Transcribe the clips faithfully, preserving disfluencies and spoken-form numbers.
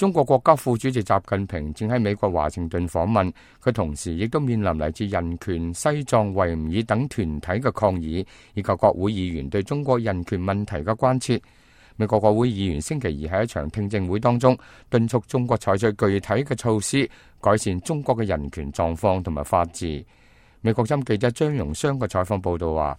中國國家副主席習近平正喺美國華盛頓訪問，佢同時亦都面臨嚟自人權、西藏、維吾爾等團體嘅抗議，以及國會議員對中國人權問題嘅關切。美國國會議員星期二喺一場聽證會當中，敦促中國採取具體嘅措施，改善中國嘅人權狀況同埋法治。美國針記者張榮湘嘅採訪報道話，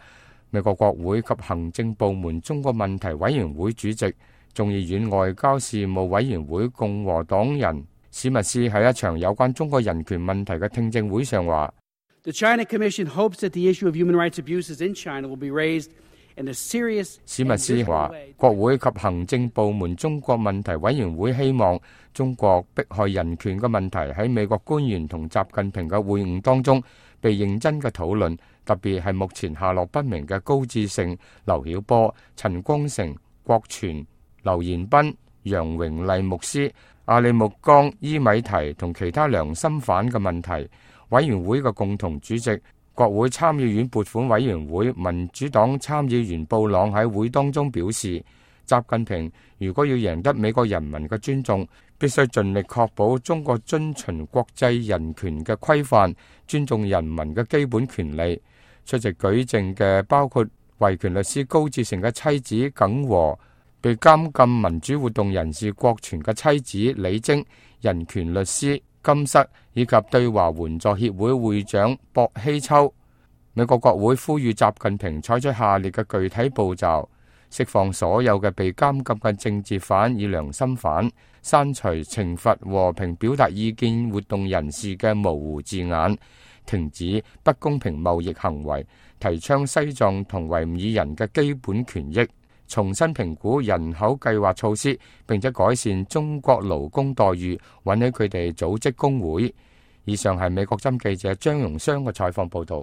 美國國會及行政部門中國問題委員會主席、眾議院外交事務委員會共和黨人史密斯喺一場有關中國人權問題嘅聽證會上話， The China Commission hopes that the issue of human rights abuses in China will be raised in a serious. 史密斯話，國會及行政部門中國問題委員會希望中國迫害人權嘅問題喺美國官員同習近平嘅會晤當中被認真嘅討論，特別係目前下落不明嘅高志勝、劉曉波、陳光誠、郭全、劉延斌、楊榮麗牧師、阿里木江、伊米提同其他良心犯嘅問題。委員會嘅共同主席、國會參議院撥款委員會民主黨參議員布朗喺會當中表示，習近平如果要贏得美國人民嘅尊重，必須盡力確保中國遵循國際人權嘅規範，尊重人民嘅基本權利。出席舉證嘅包括維權律師高志成嘅妻子耿和、被監禁民主活動人士郭全嘅妻子李晶、人權律師金瑟以及對華援助協會會長薄希秋。美國國會呼籲習近平採取下列嘅具體步驟：釋放所有嘅被監禁嘅政治犯與良心犯，刪除懲罰和平表達意見活動人士嘅模糊字眼，停止不公平貿易行為，提倡西藏同維吾爾人嘅基本權益，重新評估人口計劃措施，並且改善中國勞工待遇，允許佢哋組織工會。以上係美國針記者張榮湘嘅採訪報導。